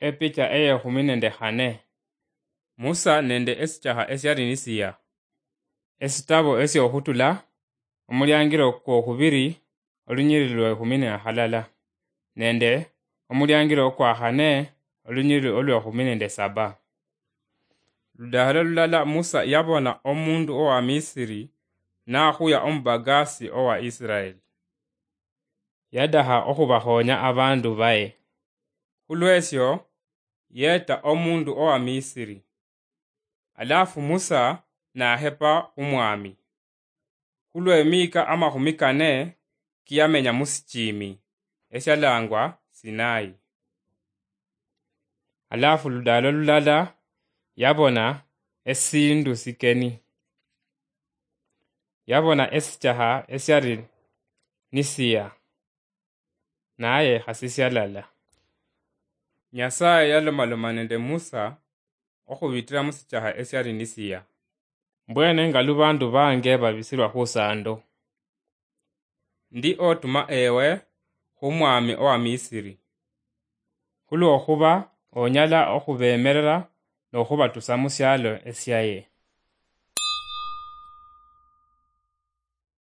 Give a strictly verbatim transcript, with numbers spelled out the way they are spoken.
Epicha eyekhumi nende khane. Musa nende esichaha esiali nisiya. Esitabo esiokhutula, omuliangiro kwokhubiri, olunyiriri lwekhumi nakhalala, nende omuliangiro okwakhane, olunyiriri olwekhumi nende saba. Ludahala lulala Musa yabona omundu owa Misiri nakhuya omubagasi owa Israeli. Yadaha okhubakhonya abandu baye. Khulwesyo, yeta omundu owa Misiri. Alafu Musa nahepa khumwami. Khulwemika amakhumi kane kiyamenya musichimi, esialangwa Sinai. Alafu ludalo lulala yabona esindu sikeni. Yabona esichaha esiali nisiya, naye khasi sialala. Nyasaye yalomaloma nende Musa okhubitira musichaha esiali nisiya. Mbwene nga lubandu bange babisilwa khusando, ndi otuma ewe khumwami owa Misiri, khulwokhuba onyala okhubemerera nokhubatusa musialo esiaye.